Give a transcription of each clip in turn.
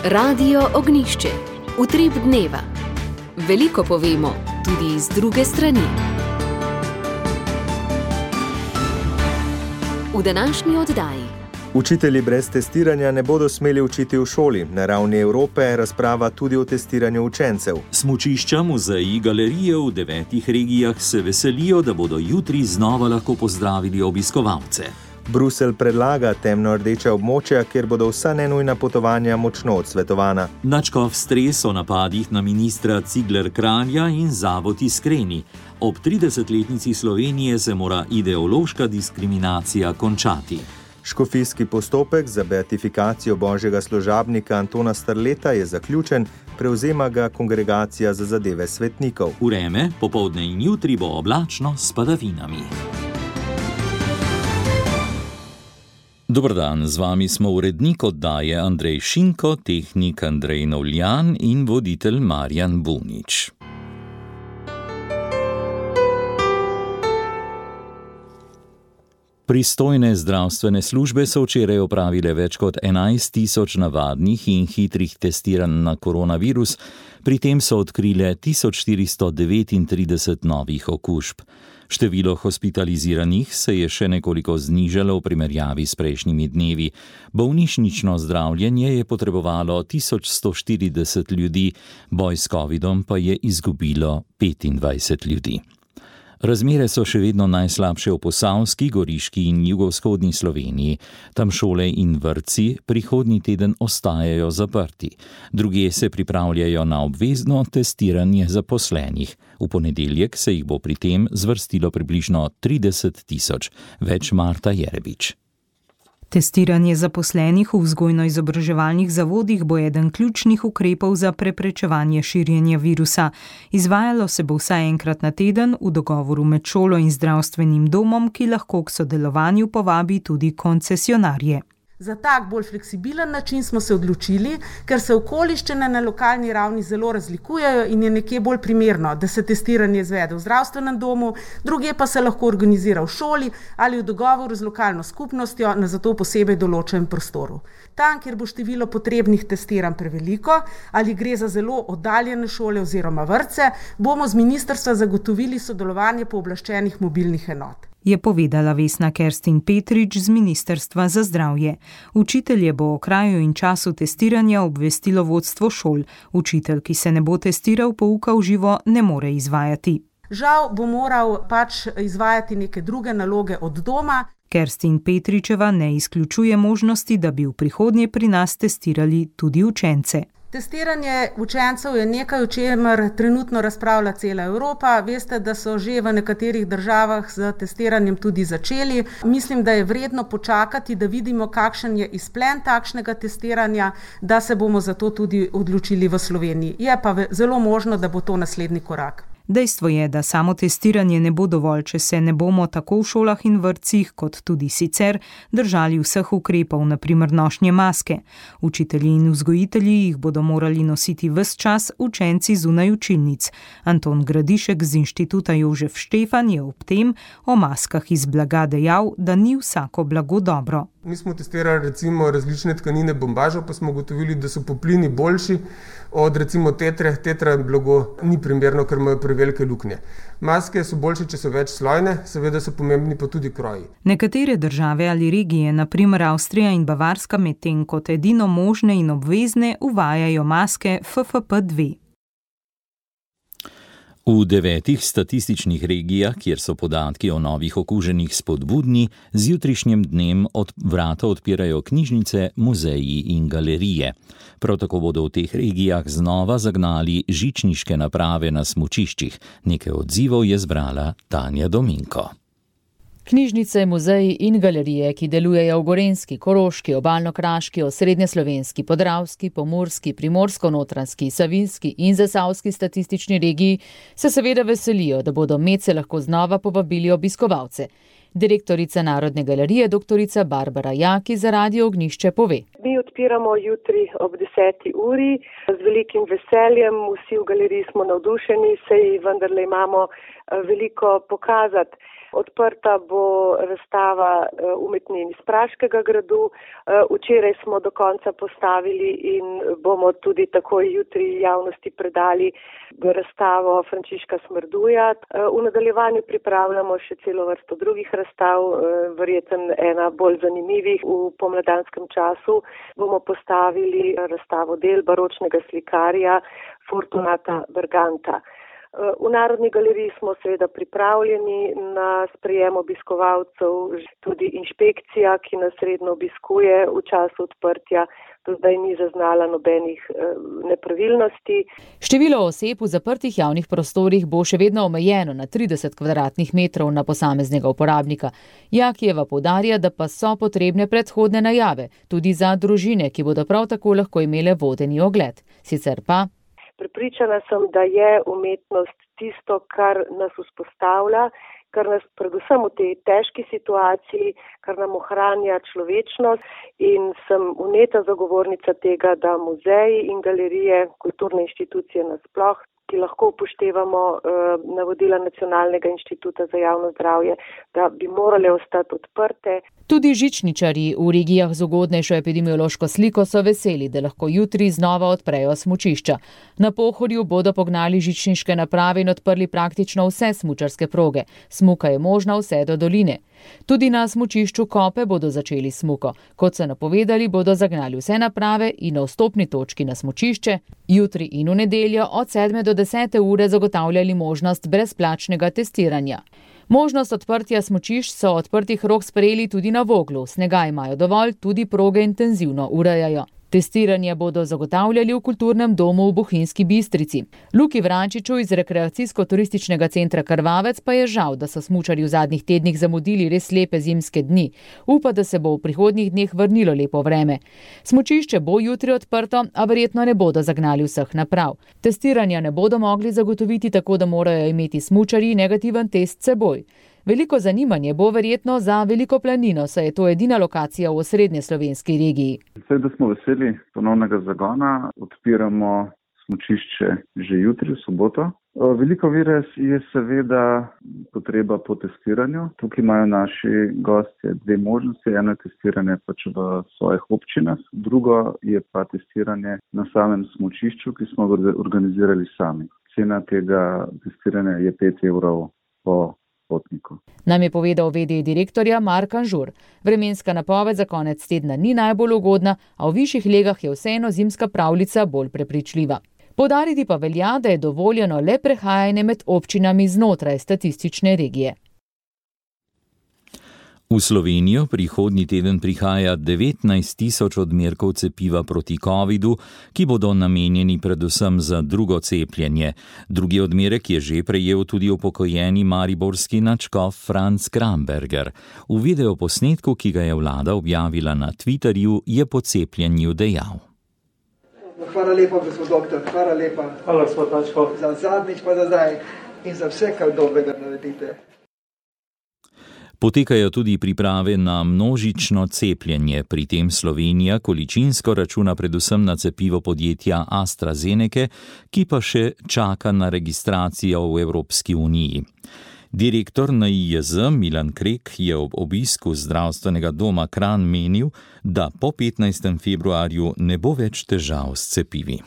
Radio Ognjišče. Utrip dneva. Veliko povemo, tudi iz druge strani. V današnji oddaji. Učitelji brez testiranja ne bodo smeli učiti v šoli. Na ravni Evrope razprava tudi o testiranju učencev. Smučišča, muzeji, galerije v 9 regijah se veselijo, da bodo jutri znova lahko pozdravili obiskovalce. Bruselj predlaga temno-rdeča območja, kjer bodo vsa nenujna potovanja močno odsvetovana. Nadškof stres o napadih na ministra Cigler Kralja in Zavod Iskreni. Ob 30-letnici Slovenije se mora ideološka diskriminacija končati. Škofijski postopek za beatifikacijo božjega služabnika Antona Strleta je zaključen, prevzema ga Kongregacija za zadeve svetnikov. Vreme, popoldne in jutri bo oblačno s padavinami. Dober dan, z vami smo urednik oddaje Andrej Šinko, tehnik Andrej Novljan in voditelj Marjan Bunič. Pristojne zdravstvene službe so včeraj opravile več kot 11.000 navadnih in hitrih testiranj na koronavirus, pri tem so odkrile 1439 novih okužb. Število hospitaliziranih se je še nekoliko znižalo v primerjavi s prejšnjimi dnevi. Bolnišnično zdravljenje je potrebovalo 1140 ljudi, boj s covidom pa je izgubilo 25 ljudi. Razmere so še vedno najslabše v Posavski, Goriški in jugovzhodni Sloveniji. Tam šole in vrtci prihodnji teden ostajajo zaprti. Drugje se pripravljajo na obvezno testiranje zaposlenih. V ponedeljek se jih bo pri tem zvrstilo približno 30.000, več Marta Jerebič. Testiranje zaposlenih v vzgojno-izobraževalnih zavodih bo eden ključnih ukrepov za preprečevanje širjenja virusa. Izvajalo se bo vsaj enkrat na teden v dogovoru med šolo in zdravstvenim domom, ki lahko k sodelovanju povabi tudi koncesionarje. Za tak bolj fleksibilen način smo se odločili, ker se okoliščine na lokalni ravni zelo razlikujejo in je nekje bolj primerno, da se testiranje izvede v zdravstvenem domu, drugje pa se lahko organizira v šoli ali v dogovoru z lokalno skupnostjo na zato posebej določenem prostoru. Tam, kjer bo število potrebnih testiranj preveliko ali gre za zelo oddaljene šole oziroma vrtce, bomo z ministrstva zagotovili sodelovanje pooblaščenih mobilnih enot, je povedala Vesna Kerstin Petrič z Ministrstva za zdravje. Učitelje bo o kraju in času testiranja obvestilo vodstvo šol. Učitelj, ki se ne bo testiral, pouka v živo ne more izvajati. Žal bo moral izvajati neke druge naloge od doma. Kerstin Petričeva ne izključuje možnosti, da bi v prihodnje pri nas testirali tudi učence. Testiranje učencev je nekaj, o čemer trenutno razpravlja cela Evropa. Veste, da so že v nekaterih državah z testiranjem tudi začeli. Mislim, da je vredno počakati, da vidimo, kakšen je izplen takšnega testiranja, da se bomo za to tudi odločili v Sloveniji. Je pa zelo možno, da bo to naslednji korak. Dejstvo je, da samo testiranje ne bo dovolj, če se ne bomo tako v šolah in vrtcih, kot tudi sicer, držali vseh ukrepov, na primer nošnje maske. Učitelji in vzgojitelji jih bodo morali nositi ves čas, učenci zunaj učilnic. Anton Gradišek z Inštituta Jožef Štefan je ob tem o maskah iz blaga dejal, da ni vsako blago dobro. Mi smo testirali recimo različne tkanine bombažev, pa smo ugotovili, da so poplini boljši od recimo tetre. Tetra blago ni primerno, ker imajo prevelike luknje. Maske so boljše, če so večslojne, seveda so pomembni pa tudi kroji. Nekatere države ali regije, na primer Avstrija in Bavarska, medtem kot edino možne in obvezne uvajajo maske FFP2. V 9 statističnih regijah, kjer so podatki o novih okuženih spodbudni, z jutrišnjim dnem vrata odpirajo knjižnice, muzeji in galerije. Prav tako bodo v teh regijah znova zagnali žičniške naprave na smučiščih. Nekaj odzivov je zbrala Tanja Dominko. Knjižnice, muzeji in galerije, ki delujejo v Gorenjski, Koroški, Obalno-kraški, Osrednjeslovenski, Podravski, Pomurski, Primorsko-notranjski, Savinjski in Zasavski statistični regiji, se seveda veselijo, da bodo medse lahko znova povabili obiskovalce. Direktorica Narodne galerije, doktorica Barbara Jaki, za Radio Ognjišče pove. Mi odpiramo jutri ob 10. uri z velikim veseljem. Vsi v galeriji smo navdušeni, saj vendarle imamo veliko pokazati. Odprta bo razstava umetnin iz Praškega gradu. Včeraj smo do konca postavili in bomo tudi takoj jutri javnosti predali razstavo Frančiška Smrduja. V nadaljevanju pripravljamo še celo vrsto drugih razstav, verjetno ena bolj zanimivih. V pomladanskem času bomo postavili razstavo del baročnega slikarja Fortunata Berganta. V Narodni galeriji smo seveda pripravljeni na sprejem obiskovalcev, tudi inšpekcija, ki nas redno obiskuje v času odprtja, do zdaj ni zaznala nobenih nepravilnosti. Število oseb v zaprtih javnih prostorih bo še vedno omejeno na 30 kvadratnih metrov na posameznega uporabnika. Jakijeva poudarja, da pa so potrebne predhodne najave, tudi za družine, ki bodo prav tako lahko imele vodeni ogled. Sicer pa prepričana sem, da je umetnost tisto, kar nas vzpostavlja, kar nas predvsem v tej težki situaciji, kar nam ohranja človečnost, in sem vneta zagovornica tega, da muzeji in galerije, kulturne inštitucije nasploh, ki lahko upoštevamo navodila Nacionalnega inštituta za javno zdravje, da bi morale ostati odprte. Tudi žičničarji v regijah z ugodnejšo epidemiološko sliko so veseli, da lahko jutri znova odprejo smučišča. Na Pohorju bodo pognali žičniške naprave in odprli praktično vse smučarske proge. Smuka je možna vse do doline. Tudi na smučišču Kope bodo začeli smuko. Kot so napovedali, bodo zagnali vse naprave in na vstopni točki na smučišče jutri in v nedeljo od 7 do 10 ure zagotavljali možnost brezplačnega testiranja. Možnost odprtja smučišč so odprtih rok sprejeli tudi na Voglu. Snega imajo dovolj, tudi proge intenzivno urejajo. Testiranje bodo zagotavljali v kulturnem domu v Bohinjski Bistrici. Luki Vrančiču iz rekreacijsko-turističnega centra Krvavec pa je žal, da so smučarji v zadnjih tednih zamudili res lepe zimske dni. Upa, da se bo v prihodnjih dneh vrnilo lepo vreme. Smučišče bo jutri odprto, a verjetno ne bodo zagnali vseh naprav. Testiranja ne bodo mogli zagotoviti, tako da morajo imeti smučarji negativen test seboj. Veliko zanimanje bo verjetno za Veliko planino, saj je to edina lokacija v osrednje slovenski regiji. Seveda smo veseli ponovnega zagona, odpiramo smučišče že jutri, v soboto. Veliko vire je seveda potreba po testiranju. Tukaj imajo naši gostje dve možnosti. Eno je testiranje pač v svojih občinah, drugo je pa testiranje na samem smučišču, ki smo ga organizirali sami. Cena tega testiranja je 5 evrov po potniku. Nam je povedal v.d. direktorja Mark Anžur. Vremenska napoved za konec tedna ni najbolj ugodna, a v višjih legah je vseeno zimska pravljica bolj prepričljiva. Poudariti pa velja, da je dovoljeno le prehajanje med občinami znotraj statistične regije. V Slovenijo prihodnji teden prihaja 19 000 odmerkov cepiva proti covidu, ki bodo namenjeni predvsem za drugo cepljenje. Drugi odmerek je že prejel tudi upokojeni mariborski nadškof Franc Kramberger. V videoposnetku, ki ga je vlada objavila na Twitterju, je po cepljenju dejal. Hvala lepa, gospod doktor, hvala lepa. Hvala, gospod nadškof. Za zadnjič pa za zdaj in za vse, kar dobrega naredite. Potekajo tudi priprave na množično cepljenje, pri tem Slovenija količinsko računa predvsem na cepivo podjetja AstraZeneca, ki pa še čaka na registracijo v Evropski uniji. Direktor NIJZ Milan Krek je ob obisku zdravstvenega doma Kranj menil, da po 15. februarju ne bo več težav s cepivi.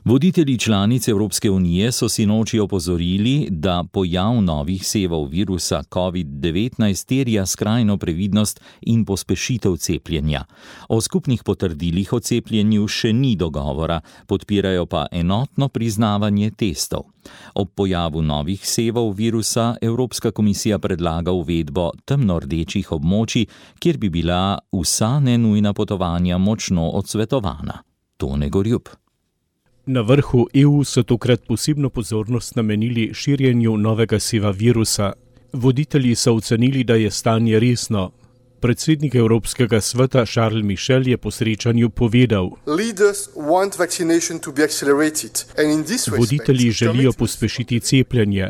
Voditelji članic Evropske unije so sinoči opozorili, da pojav novih sevov virusa COVID-19 terja skrajno previdnost in pospešitev cepljenja. O skupnih potrdilih o cepljenju še ni dogovora, podpirajo pa enotno priznavanje testov. Ob pojavu novih sevov virusa Evropska komisija predlaga uvedbo temnordečih območij, kjer bi bila vsa nenujna potovanja močno odsvetovana. Tone Gorjup. Na vrhu EU so tokrat posebno pozornost namenili širjenju novega seva virusa. Voditelji so ocenili, da je stanje resno. Predsednik Evropskega sveta Charles Michel je po srečanju povedal: Voditelji želijo pospešiti cepljenje.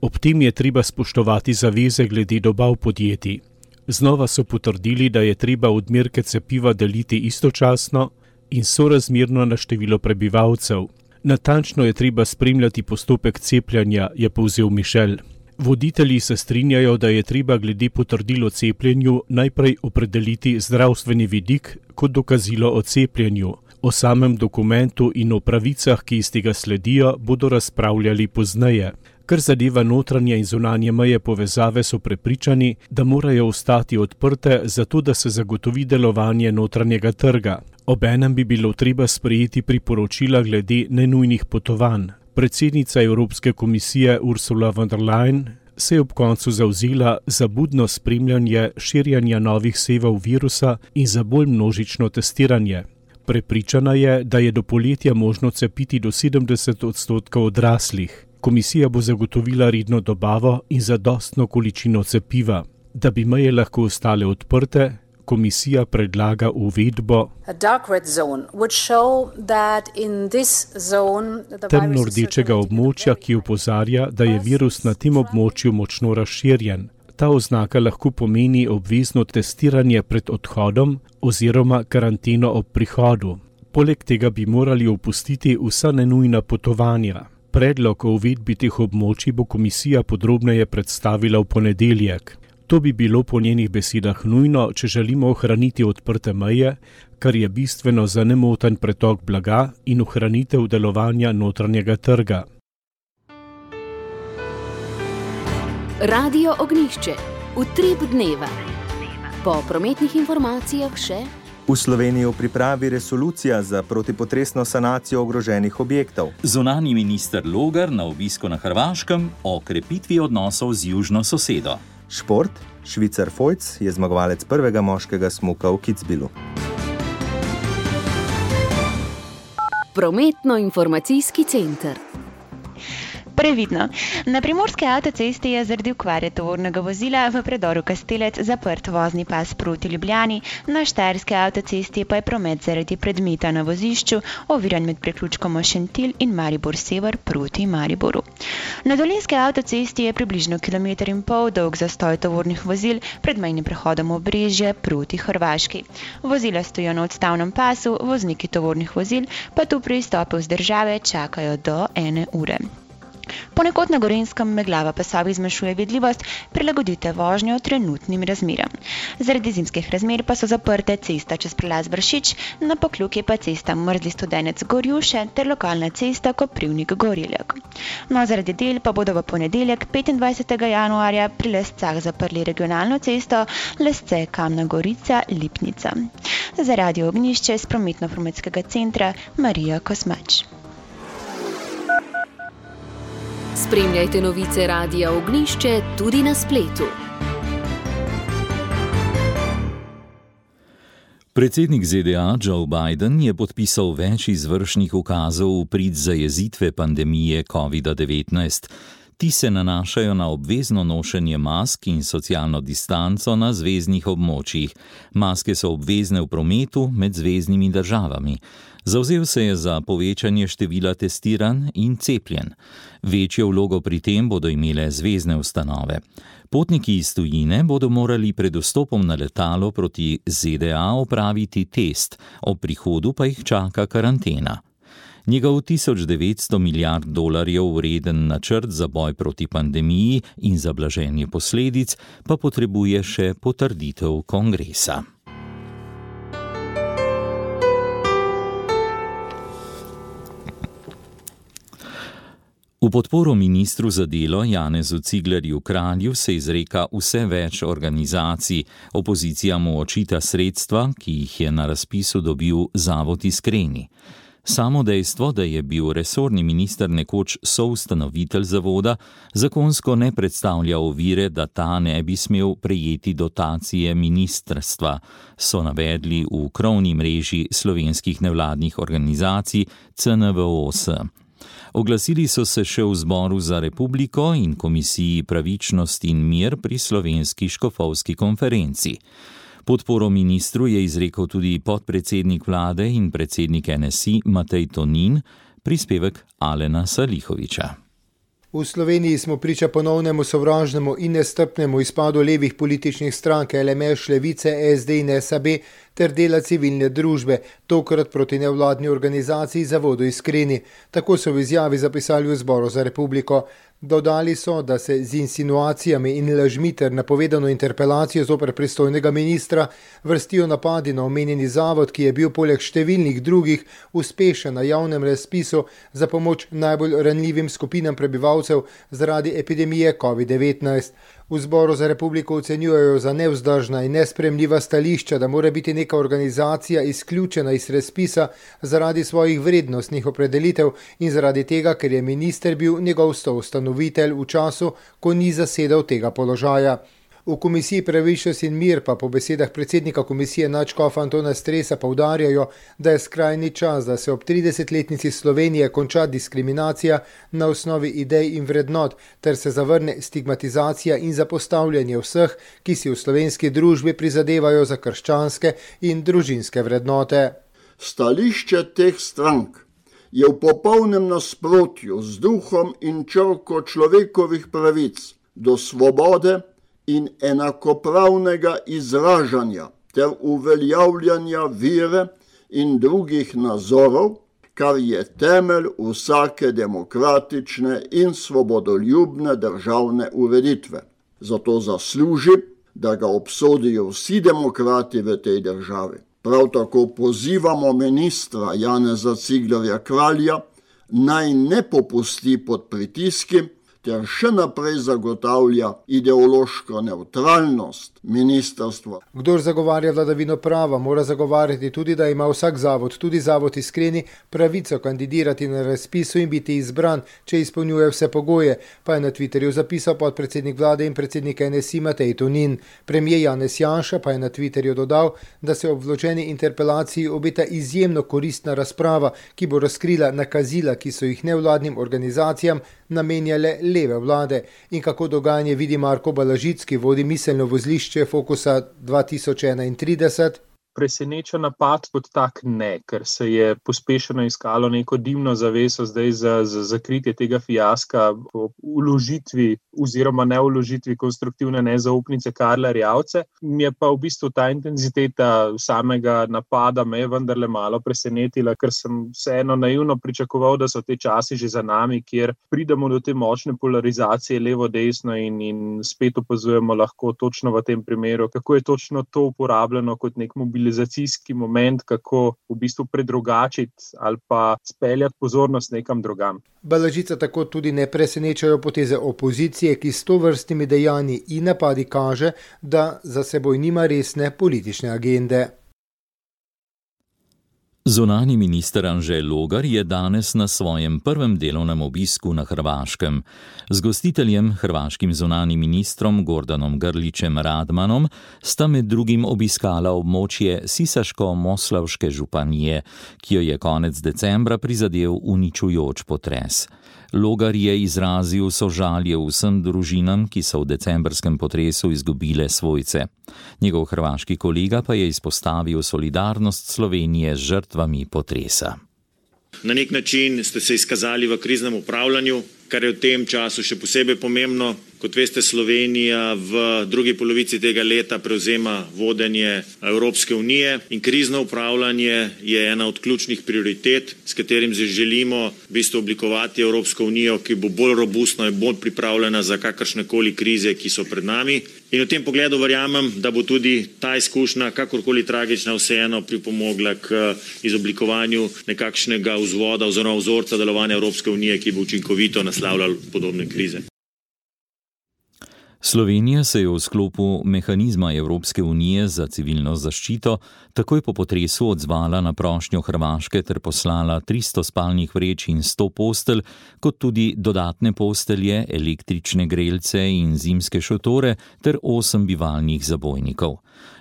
Ob tem je treba spoštovati zaveze glede dobav podjetij. Znova so potrdili, da je treba odmerke cepiva deliti istočasno in sorazmerno na število prebivalcev. Natančno je treba spremljati postopek cepljenja, je povzel Michel. Voditelji se strinjajo, da je treba glede potrdil o cepljenju najprej opredeliti zdravstveni vidik kot dokazilo o cepljenju. O samem dokumentu in o pravicah, ki iz tega sledijo, bodo razpravljali pozneje. Kar zadeva notranje in zunanje meje povezave, so prepričani, da morajo ostati odprte, zato da se zagotovi delovanje notranjega trga. Obenem bi bilo treba sprejeti priporočila glede nenujnih potovanj. Predsednica Evropske komisije Ursula von der Leyen se je ob koncu zavzela za budno spremljanje širjanja novih sevov virusa in za bolj množično testiranje. Prepričana je, da je do poletja možno cepiti do 70% odraslih. Komisija bo zagotovila redno dobavo in zadostno količino cepiva. Da bi meje lahko ostale odprte, komisija predlaga uvedbo temno-rdečega območja, ki opozarja, da je virus na tem območju močno razširjen. Ta oznaka lahko pomeni obvezno testiranje pred odhodom oziroma karanteno ob prihodu. Poleg tega bi morali opustiti vsa nenujna potovanja. Predlog o uvedbi teh območij bo komisija podrobneje predstavila v ponedeljek. To bi bilo po njenih besedah nujno, če želimo ohraniti odprte meje, kar je bistveno za nemoten pretok blaga in ohranitev delovanja notranjega trga. Radio Ognjišče. Utrip dneva. Po prometnih informacijah še. V Sloveniji v pripravi resolucija za protipotresno sanacijo ogroženih objektov. Zunanji minister Logar na obisku na Hrvaškem o krepitvi odnosov z južno sosedo. Šport. Švicar Fojc je zmagovalec prvega moškega smuka v Kitzbühelu. Prometno-informacijski center. Previdno. Na primorske avtocesti je zaradi okvare tovornega vozila v predoru Kastelec zaprt vozni pas proti Ljubljani, na štajerske avtocesti pa je promet zaradi predmeta na vozišču oviran med priključkom Šentilj in Maribor Sever proti Mariboru. Na dolenjske avtocesti je približno 1,5 km dolg zastoj tovornih vozil pred mejnim prehodom Obrežje proti Hrvaški. Vozila stojijo na odstavnem pasu, vozniki tovornih vozil pa tu pri izstopu z države čakajo do 1 ure. Ponekod na Gorenjskem meglava pasovi zmanjšuje vidljivost, prilagodite vožnjo trenutnim razmeram. Zaradi zimskih razmer pa so zaprte cesta čez prelaz Vršič, na Pokljuki pa cesta Mrzli Studenec Gorjuše ter lokalna cesta Koprivnik Goreljak. No, zaradi del pa bodo v ponedeljek 25. januarja pri Lescah zaprli regionalno cesto Lesce Kamna Gorica Lipnica. Za Radio Ognjišče iz prometno-informatskega centra Marija Kosmač. Spremljajte novice Radia Ognjišče tudi na spletu. Predsednik ZDA Joe Biden je podpisal več izvršnih ukazov v prid zajezitve pandemije COVID-19. Ti se nanašajo na obvezno nošenje mask in socialno distanco na zveznih območjih. Maske so obvezne v prometu med zveznimi državami. Zavzel se je za povečanje števila testiranj in cepljenj. Večjo vlogo pri tem bodo imele zvezne ustanove. Potniki iz tujine bodo morali pred vstopom na letalo proti ZDA opraviti test, ob prihodu pa jih čaka karantena. Njegov $1900 milijard vreden načrt za boj proti pandemiji in za blaženje posledic pa potrebuje še potrditev kongresa. V podporo ministru za delo Janezu Ciglerju Kralju se izreka vse več organizacij. Opozicija mu očita sredstva, ki jih je na razpisu dobil Zavod Iskreni. Samo dejstvo, da je bil resorni minister nekoč soustanovitelj zavoda, zakonsko ne predstavlja ovire, da ta ne bi smel prejeti dotacije ministrstva, so navedli v krovni mreži slovenskih nevladnih organizacij CNVOS. Oglasili so se še v Zboru za republiko in Komisiji Pravičnost in mir pri Slovenski škofovski konferenci. Podporo ministru je izrekel tudi podpredsednik vlade in predsednik NSI Matej Tonin, prispevek Alena Salihoviča. V Sloveniji smo priča ponovnemu sovražnemu in nestrpnemu izpadu levih političnih strank LMŠ, Levice, SD in SAB ter dela civilne družbe, tokrat proti nevladni organizaciji Zavodu Iskreni. Tako so v izjavi zapisali v Zboru za republiko. Dodali so, da se z insinuacijami in lažmi ter napovedano interpelacijo zoper pristojnega ministra vrstijo napadi na omenjeni zavod, ki je bil poleg številnih drugih uspešen na javnem razpisu za pomoč najbolj ranljivim skupinam prebivalcev zaradi epidemije COVID-19. V Zboru za republiko ocenjujejo za nevzdržna in nesprejemljiva stališča, da mora biti neka organizacija izključena iz razpisa zaradi svojih vrednostnih opredelitev in zaradi tega, ker je minister bil njegov soustanovitelj v času, ko ni zasedal tega položaja. V komisiji Pravičnost in mir pa po besedah predsednika komisije nadškofa Antona Stresa poudarjajo, da je skrajni čas, da se ob 30-letnici Slovenije konča diskriminacija na osnovi idej in vrednot, ter se zavrne stigmatizacija in zapostavljanje vseh, ki si v slovenski družbi prizadevajo za krščanske in družinske vrednote. Stališče teh strank je v popolnem nasprotju z duhom in črko človekovih pravic do svobode in enakopravnega izražanja ter uveljavljanja vere in drugih nazorov, kar je temelj vsake demokratične in svobodoljubne državne ureditve. Zato zasluži, da ga obsodijo vsi demokrati v tej državi. Prav tako pozivamo ministra Janeza Ciglerja Kralja, naj ne popusti pod pritiski ter še naprej zagotavlja ideološko nevtralnost ministrstva. Kdor zagovarja vladavino prava, mora zagovarjati tudi, da ima vsak zavod, tudi zavod Iskreni, pravico kandidirati na razpisu in biti izbran, če izpolnjuje vse pogoje, pa je na Twitterju zapisal podpredsednik vlade in predsednik NSI Matej Tonin. Premier Janez Janša pa je na Twitterju dodal, da se ob vloženi interpelaciji obeta izjemno koristna razprava, ki bo razkrila nakazila, ki so jih nevladnim organizacijam namenjale leve vlade. In kako dogajanje vidi Marko Balažic, ki vodi miselno vozlišče Fokusa 2031. Preseneča napad kot tak ne, ker se je pospešeno iskalo neko dimno zaveso zdaj za zakritje tega fiaska po vložitvi oziroma ne vložitvi konstruktivne nezaupnice Karla Erjavce. Mi je pa v bistvu ta intenziteta samega napada me je vendarle malo presenetila, ker sem vseeno naivno pričakoval, da so te časi že za nami, kjer pridemo do te močne polarizacije levo-desno in spet opazujemo lahko točno v tem primeru, kako je točno to uporabljeno kot nek mobilizacijski moment, kako v bistvu predrugačiti ali pa speljati pozornost nekam drugam. Balažica tako tudi ne presenečajo poteze opozicije, ki s tovrstnimi dejanji in napadi kaže, da za seboj nima resne politične agende. Zunanji minister Anže Logar je danes na svojem prvem delovnem obisku na Hrvaškem. Z gostiteljem, hrvaškim zunanjim ministrom Gordanom Grlićem Radmanom, sta med drugim obiskala območje Sisaško-Moslavške županije, ki jo je konec decembra prizadel uničujoč potres. Logar je izrazil sožalje vsem družinam, ki so v decembrskem potresu izgubile svojce. Njegov hrvaški kolega pa je izpostavil solidarnost Slovenije z žrtvami potresa. Na nek način ste se izkazali v kriznem upravljanju, kar je v tem času še posebej pomembno. Kot veste, Slovenija v drugi polovici tega leta prevzema vodenje Evropske unije in krizno upravljanje je ena od ključnih prioritet, s katerim želimo v bistvu oblikovati Evropsko unijo, ki bo bolj robustna in bolj pripravljena za kakršnekoli krize, ki so pred nami. In v tem pogledu verjamem, da bo tudi ta izkušnja, kakorkoli tragična, vseeno pripomogla k izoblikovanju nekakšnega vzvoda oziroma vzorca delovanja Evropske unije, ki bo učinkovito naslavljal podobne krize. Slovenija se je v sklopu mehanizma Evropske unije za civilno zaščito takoj po potresu odzvala na prošnjo Hrvaške ter poslala 300 spalnih vreč in 100 postelj, kot tudi dodatne postelje, električne grelce in zimske šotore ter 8 bivalnih zabojnikov.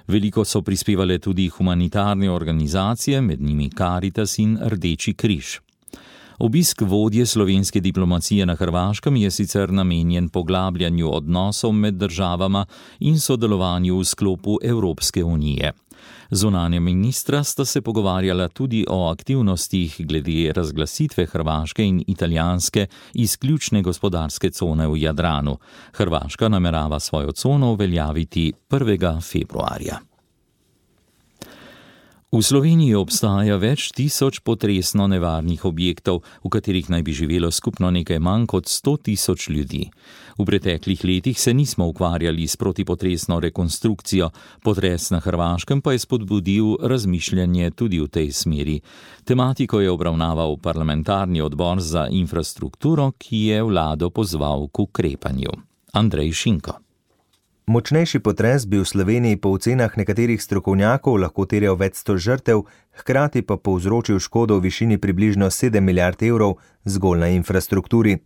Veliko so prispevale tudi humanitarne organizacije, med njimi Karitas in Rdeči križ. Obisk vodje slovenske diplomacije na Hrvaškem je sicer namenjen poglabljanju odnosov med državama in sodelovanju v sklopu Evropske unije. Zunanja ministra sta se pogovarjala tudi o aktivnostih glede razglasitve hrvaške in italijanske izključne gospodarske cone v Jadranu. Hrvaška namerava svojo cono uveljaviti 1. februarja. V Sloveniji obstaja več tisoč potresno nevarnih objektov, v katerih naj bi živelo skupno nekaj manj kot 100.000 ljudi. V preteklih letih se nismo ukvarjali s protipotresno rekonstrukcijo, potres na Hrvaškem pa je spodbudil razmišljanje tudi v tej smeri. Tematiko je obravnaval parlamentarni odbor za infrastrukturo, ki je vlado pozval k ukrepanju. Andrej Šinko. Močnejši potres bi v Sloveniji po ocenah nekaterih strokovnjakov lahko terjal več 100 žrtev, hkrati pa povzročil škodo v višini približno 7 milijard evrov zgolj na infrastrukturi.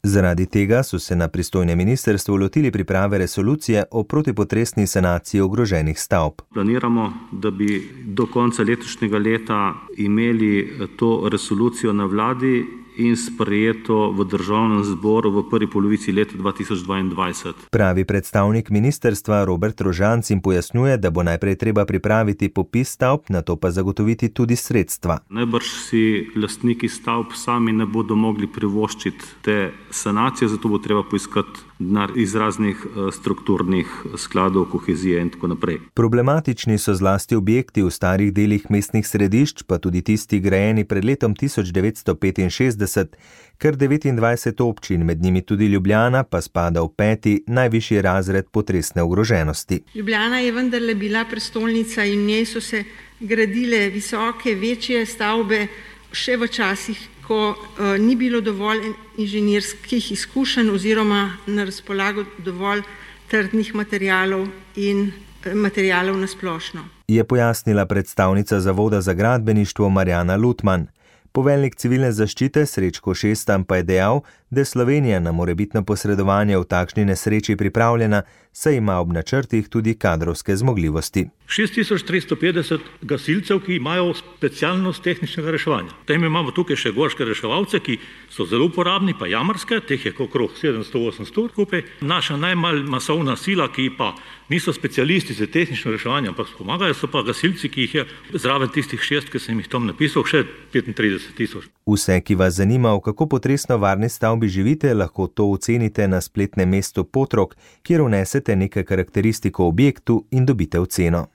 Zaradi tega so se na pristojnem ministrstvu lotili priprave resolucije o protipotresni sanaciji ogroženih stavb. Planiramo, da bi do konca letošnjega leta imeli to resolucijo na vladi in sprejeto v državnem zboru v prvi polovici leta 2022. Pravi predstavnik ministrstva Robert Rožanc in pojasnjuje, da bo najprej treba pripraviti popis stavb, nato pa zagotoviti tudi sredstva. Najbrž si lastniki stavb sami ne bodo mogli privoščiti te sanacije, zato bo treba poiskati denar iz raznih strukturnih skladov, kohezije in tako naprej. Problematični so zlasti objekti v starih delih mestnih središč, pa tudi tisti grajeni pred letom 1965, kar 29 občin, med njimi tudi Ljubljana, pa spada v 5. najvišji razred potresne ogroženosti. Ljubljana je vendarle bila prestolnica in v njej so se gradile visoke, večje stavbe še v časih, ko ni bilo dovolj inženirskih izkušenj oziroma na razpolago dovolj trdnih materialov in materialov na splošno. Je pojasnila predstavnica Zavoda za gradbeništvo Marjana Lutman. Poveljnik civilne zaščite Srečko Šestan pa je dejal, da je Slovenija na morebitno posredovanje v takšni nesreči pripravljena, saj ima ob načrtih tudi kadrovske zmogljivosti. 6350 gasilcev, ki imajo specialnost tehničnega reševanja. Potem imamo tukaj še gorske reševalce, ki so zelo uporabni, pa jamarske, teh je okrog 700-800 skupaj. Naša najmanj masovna sila, ki pa niso specialisti za tehnično reševanje, ampak pomagajo, so pa gasilci, ki jih je zraven tistih 6, ki sem jih tam napisal, še 35.000. Vse, ki vas zanima, v kako potresno varni stavbi živite, lahko to ocenite na spletnem mestu Potrok, kjer vnesete nekaj karakteristik o objektu in dobite oceno.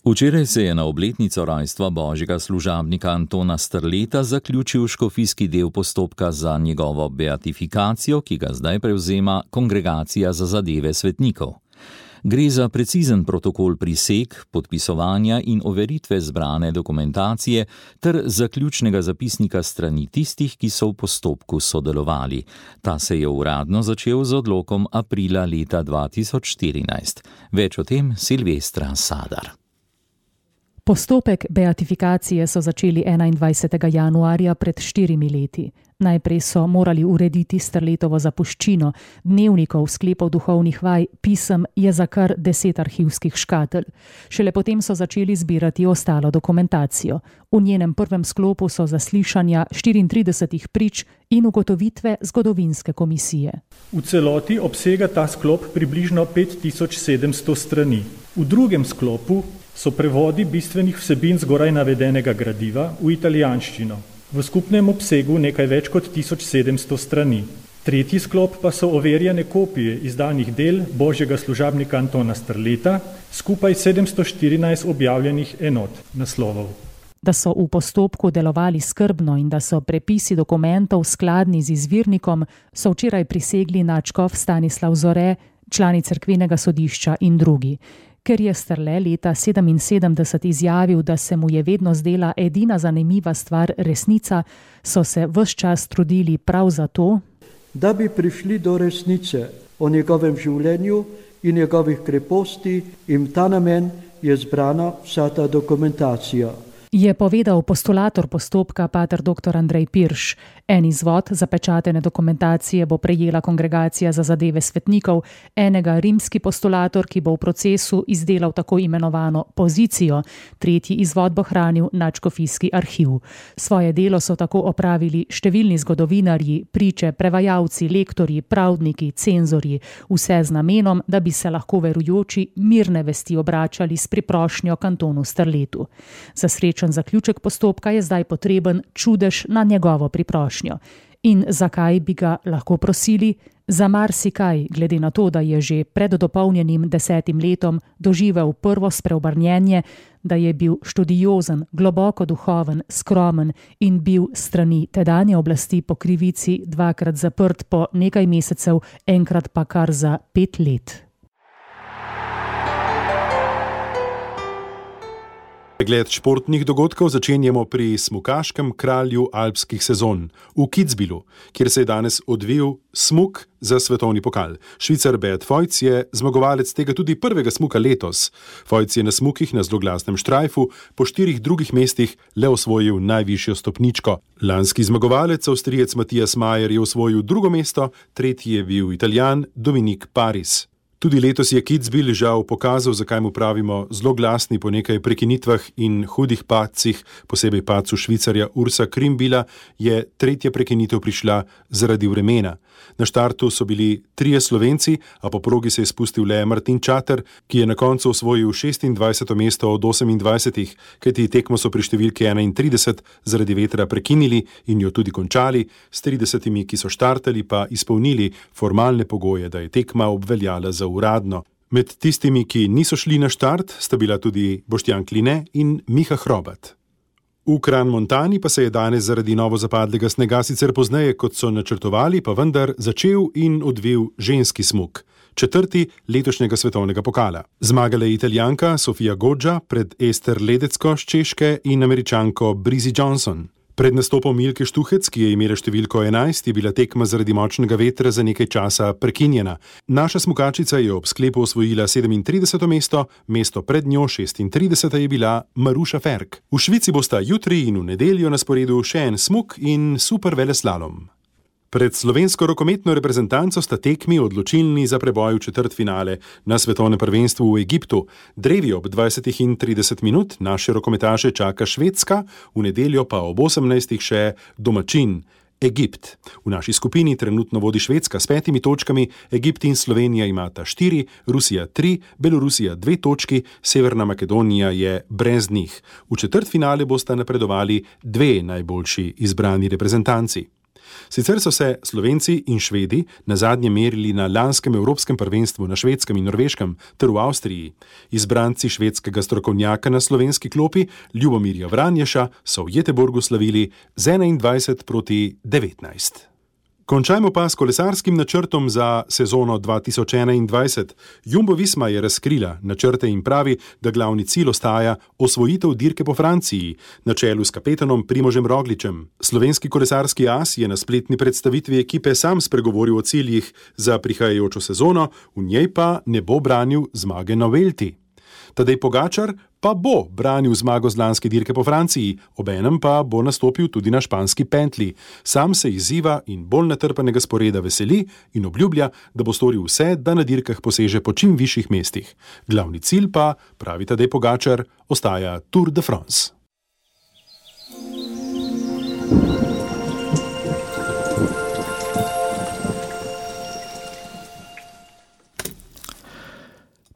Včeraj se je na obletnico rojstva božjega služabnika Antona Strleta zaključil škofijski del postopka za njegovo beatifikacijo, ki ga zdaj prevzema Kongregacija za zadeve svetnikov. Gre za precizen protokol priseg, podpisovanja in overitve zbrane dokumentacije ter zaključnega zapisnika strani tistih, ki so v postopku sodelovali. Ta se je uradno začel z odlokom aprila leta 2014. Več o tem Silvestra Sadar. Postopek beatifikacije so začeli 21. januarja pred 4 leti. Najprej so morali urediti Strletovo zapuščino, dnevnikov, sklepov duhovnih vaj, pisem, je za kar 10 arhivskih škatelj. Šele potem so začeli zbirati ostalo dokumentacijo. V njenem prvem sklopu so zaslišanja 34 prič in ugotovitve zgodovinske komisije. V celoti obsega ta sklop približno 5700 strani. V drugem sklopu so prevodi bistvenih vsebin zgoraj navedenega gradiva v italijanščino. V skupnem obsegu nekaj več kot 1700 strani. Tretji sklop pa so overjene kopije izdanih del božjega služabnika Antona Strleta, skupaj 714 objavljenih enot naslovov. Da so v postopku delovali skrbno in da so prepisi dokumentov skladni z izvirnikom, so včeraj prisegli nadškof Stanislav Zore, člani cerkvenega sodišča in drugi. Ker je Strle leta 1977 izjavil, da se mu je vedno zdela edina zanimiva stvar resnica, so se ves čas trudili prav za to, da bi prišli do resnice o njegovem življenju in njegovih kreposti, in v ta namen je zbrana vsa ta dokumentacija. Je povedal postulator postopka pater dr. Andrej Pirš. En izvod zapečatene dokumentacije bo prejela Kongregacija za zadeve svetnikov, enega rimski postulator, ki bo v procesu izdelal tako imenovano pozicijo, tretji izvod bo hranil nadškofijski arhiv. Svoje delo so tako opravili številni zgodovinarji, priče, prevajalci, lektorji, pravdniki, cenzorji, vse z namenom, da bi se lahko verujoči mirne vesti obračali s priprošnjo k Antonu Strletu. Za srečen zaključek postopka je zdaj potreben čudež na njegovo priprošnjo. In zakaj bi ga lahko prosili? Za marsikaj, glede na to, da je že pred dopolnjenim 10 letom doživel prvo spreobrnjenje, da je bil študiozen, globoko duhoven, skromen in bil strani tedanje oblasti po krivici 2-krat zaprt po nekaj mesecev, enkrat pa kar za 5 let. Pregled športnih dogodkov začenjamo pri smukaškem kralju alpskih sezon v Kitzbühelu, kjer se je danes odvil smuk za svetovni pokal. Švicar Beat Feuz je zmagovalec tega tudi prvega smuka letos. Feuz je na smukih na zloglasnem štrajfu po 4 drugih mestih le osvojil najvišjo stopničko. Lanski zmagovalec, Avstrijec Matthias Mayer, je osvojil 2. mesto, 3. je bil Italijan Dominique Paris. Tudi letos je Kitzbühel žal pokazal, zakaj mu pravimo zloglasni. Po nekaj prekinitvah in hudih padcih, posebej padcu Švicarja Ursa Krimbila, je 3. prekinitev prišla zaradi vremena. Na štartu so bili 3 Slovenci, a po progi se je spustil le Martin Čater, ki je na koncu osvojil 26. mesto od 28, kajti tekmo so pri številki 31 zaradi vetra prekinili in jo tudi končali, s 30, ki so štartali, pa izpolnili formalne pogoje, da je tekma obveljala za uradno. Med tistimi, ki niso šli na štart, sta bila tudi Boštjan Kline in Miha Hrobat. V Kranj-Montani pa se je danes zaradi novo zapadlega snega sicer pozneje, kot so načrtovali, pa vendar začel in odvil ženski smuk, 4. letošnjega svetovnega pokala. Zmagala je Italijanka Sofia Goggia pred Ester Ledecko z Češke in Američanko Brizzy Johnson. Pred nastopom Milke Štuhec, ki je imela številko 11, je bila tekma zaradi močnega vetra za nekaj časa prekinjena. Naša smukačica je ob sklepu osvojila 37. mesto, mesto pred njo 36. je bila Maruša Ferk. V Švici bosta jutri in v nedeljo na sporedu še en smuk in super veleslalom. Pred slovensko rokometno reprezentanco sta tekmi odločilni za preboj v četrtfinale na svetovnem prvenstvu v Egiptu. Drevi ob 20:30 naše rokometaše čaka Švedska, v nedeljo pa ob 18. še domačin Egipt. V naši skupini trenutno vodi Švedska s 5 točkami, Egipt in Slovenija imata 4, Rusija 3, Belorusija 2 točki, Severna Makedonija je brez njih. V četrtfinale bosta napredovali 2 najboljši izbrani reprezentanci. Sicer so se Slovenci in Švedi nazadnje merili na lanskem evropskem prvenstvu na Švedskem in Norveškem ter v Avstriji. Izbranci švedskega strokovnjaka na slovenski klopi, Ljubomirja Vranješa, so v Göteborgu slavili z 21:19. Končajmo pa s kolesarskim načrtom za sezono 2021. Jumbo Visma je razkrila načrte in pravi, da glavni cilj ostaja osvojitev dirke po Franciji, na čelu s kapetanom Primožem Rogličem. Slovenski kolesarski as je na spletni predstavitvi ekipe sam spregovoril o ciljih za prihajajočo sezono, v njej pa ne bo branil zmage na Vuelti. Tadej Pogačar pa bo branil zmago z lanske dirke po Franciji, obenem pa bo nastopil tudi na španski pentli. Sam se izziva in bolj natrpanega sporeda veseli in obljublja, da bo storil vse, da na dirkah poseže po čim višjih mestih. Glavni cilj pa, pravi Tadej Pogačar, ostaja Tour de France.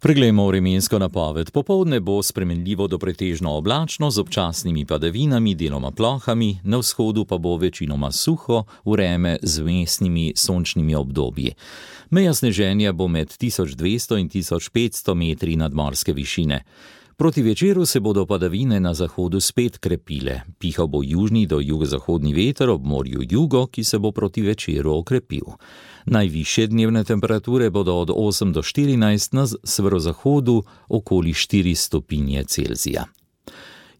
Preglejmo vremensko napoved. Popoldne bo spremenljivo do pretežno oblačno z občasnimi padavinami, deloma plohami, na vzhodu pa bo večinoma suho, vreme z vmesnimi sončnimi obdobji. Meja sneženja bo med 1200 in 1500 metri nadmorske višine. Proti večeru se bodo padavine na zahodu spet krepile. Pihal bo južni do jugozahodni veter ob morju jugo, ki se bo proti večeru okrepil. Najvišje dnevne temperature bodo od 8 do 14, na severozahodu okoli 4 stopinje Celzija.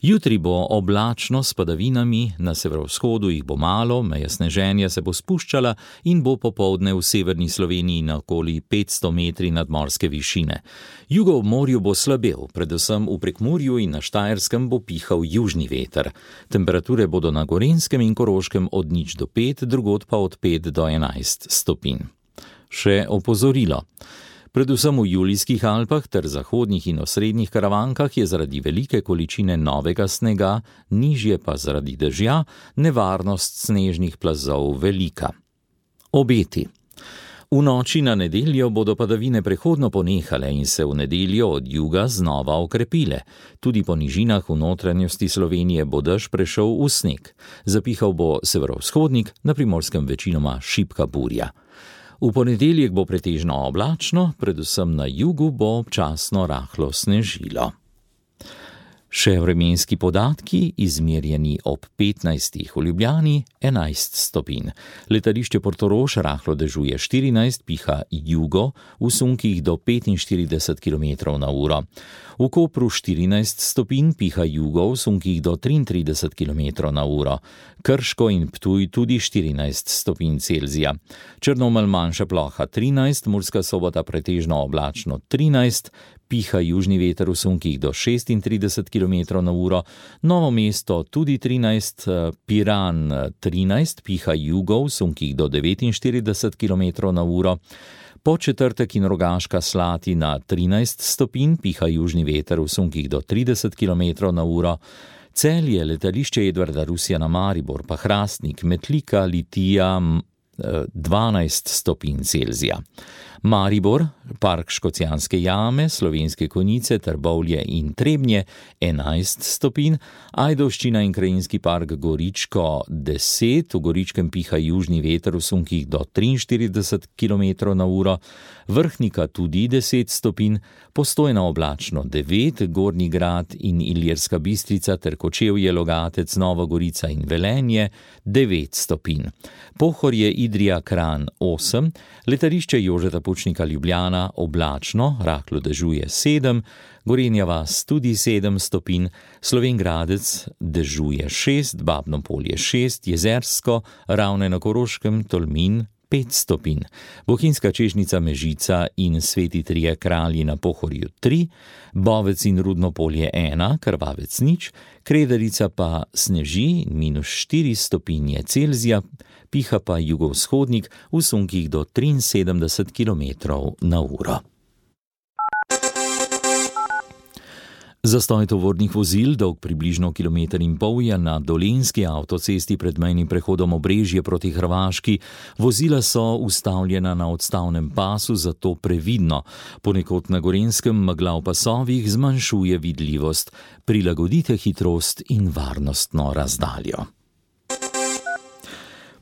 Jutri bo oblačno s padavinami, na severovzhodu jih bo malo, meja sneženja se bo spuščala in bo popoldne v severni Sloveniji na okoli 500 metri nadmorske višine. Jugo ob morju bo slabel, predvsem v Prekmurju in na Štajerskem bo pihal južni veter. Temperature bodo na Gorenjskem in Koroškem od 0 do 5, drugod pa od 5 do 11 stopinj. Še opozorilo. Predvsem v Julijskih Alpah ter zahodnih in osrednjih Karavankah je zaradi velike količine novega snega, nižje pa zaradi dežja, nevarnost snežnih plazov velika. Obeti. V noči na nedeljo bodo padavine prehodno ponehale in se v nedeljo od juga znova okrepile. Tudi po nižinah v notranjosti Slovenije bo dež prešel v sneg. Zapihal bo severovzhodnik, na Primorskem večinoma šibka burja. V ponedeljek bo pretežno oblačno, predvsem na jugu bo občasno rahlo snežilo. Še vremenski podatki, izmerjeni ob 15. v Ljubljani 11 stopinj. Letališče Portorož rahlo dežuje 14, piha jugo, v sunkih do 45 km/h. V Kopru 14 stopinj, piha jugo, v sunkih do 33 km/h. Krško in Ptuj tudi 14 stopinj Celzija. Črnomelj manjša ploha 13, Murska Sobota pretežno oblačno 13, piha južni veter v sunkih do 36 km/h, Novo mesto tudi 13, Piran 13, piha jugo v sunkih do 49 km/h, Podčetrtek in Rogaška Slatina 13 stopinj, piha južni veter v sunkih do 30 km/h, Celje, letališče Edvarda Rusjana Maribor, pa Hrastnik, Metlika, Litija 12 stopinj Celzija. Maribor, park Škocjanske jame, Slovenske Konjice, Trbovlje in Trebnje 11 stopinj, Ajdovščina in krajinski park Goričko 10, v Goričkem piha južni veter v sunkih do 43 km/h, Vrhnika tudi 10 stopinj, Postojna oblačno 9, Gornji Grad in Ilirska Bistrica ter Kočevje, Logatec, Nova Gorica in Velenje 9 stopinj. Pohorje, Idrija, Kranj 8, letališče Jožeta Pučnika Ljubljana oblačno, rahlo dežuje 7, Gorenja vas tudi 7 stopinj, Slovenj Gradec dežuje 6, Babno Polje 6, Jezersko, Ravne na Koroškem, Tolmin 5 stopinj, Bohinjska Čežnica, Mežica in Sveti Trije Kralji na Pohorju 3, Bovec in Rudno Polje 1, Krvavec 0, Kredarica pa sneži -4 stopinje Celzija, piha pa jugovzhodnik v sunkih do 73 km/h. Zastoj tovornih vozil, dolg približno 1,5 km je na Dolenjski avtocesti pred mejnim prehodom Obrežje proti Hrvaški. Vozila so ustavljena na odstavnem pasu, zato previdno. Ponekod na Gorenjskem megla v pasovih zmanjšuje vidljivost. Prilagodite hitrost in varnostno razdaljo.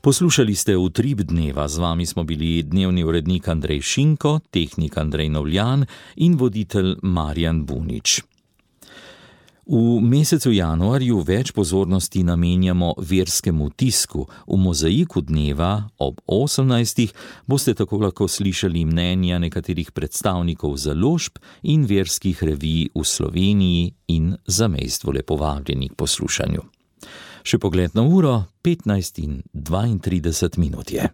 Poslušali ste Utrip dneva, z vami smo bili dnevni urednik Andrej Šinko, tehnik Andrej Novljan in voditelj Marjan Bunič. V mesecu januarju več pozornosti namenjamo verskemu tisku. V mozaiku dneva ob 18. boste tako lahko slišali mnenja nekaterih predstavnikov založb in verskih revij v Sloveniji in zamejstvu lepo vabljeni k poslušanju. Še pogled na uro, 15:32 je.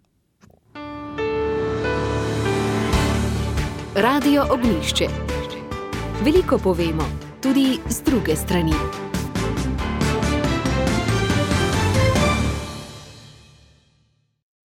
Radio Ognjišče. Veliko povemo, tudi z druge strani.